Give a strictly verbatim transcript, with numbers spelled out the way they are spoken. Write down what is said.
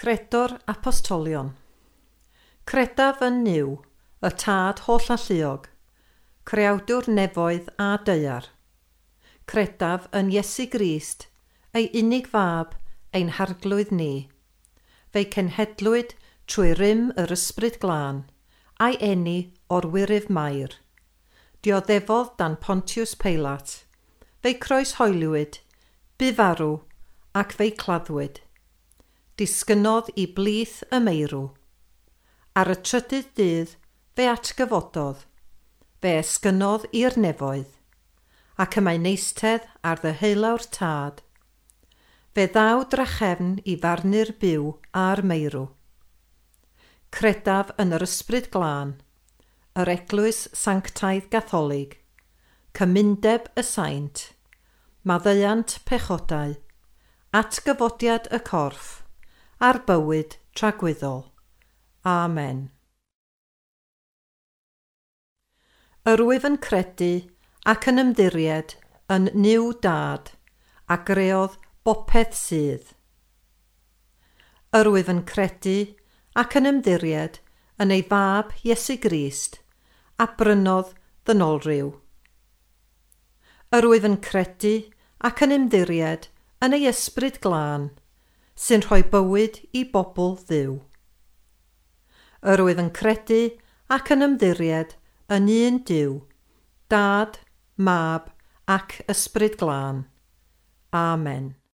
Credo'r Apostolion. Credaf yn Nuw, y Tad Hollalluog, creawdwr nefoedd a daear. Credaf yn Iesu Grist, ei unig fab, ein harglwydd ni. Fe'i cenhedlwyd trwy rym yr Ysbryd Glân, a'i eni o'r Wyryf Mair. Dioddefodd dan Pontius Peilat. Fe'i croeshoeliwyd, bu farw, ac fe'i claddwyd. Disgynnodd i blith y meirw. Ar y trydydd dydd fe atgyfododd. Fe esgynnodd i'r nefoedd, ac y mae'n eistedd ar ddeheulaw'r Tad. Fe ddaw drachefn i farnu'r byw a'r meirw. Credaf yn yr Ysbryd Glân, yr Eglwys Sanctaidd Gatholig, cymundeb y saint, maddeuant pechodau, atgyfodiad y corff, a'r bywyd tragwyddol. Amen. Yr wyf yn credu ac yn ymddiried yn Nuw Dad, a greodd bopeth sydd. Yr wyf yn credu ac yn ymddiried yn ei fab Iesu Grist, a brynodd ddynolryw. Yr wyf yn credu ac yn ymddiried yn ei Ysbryd Glân, sy'n rhoi bywyd i bobl Dduw. Yr wyf yn credu ac yn ymddiried yn un Duw, Dad, Mab ac Ysbryd Glân. Amen.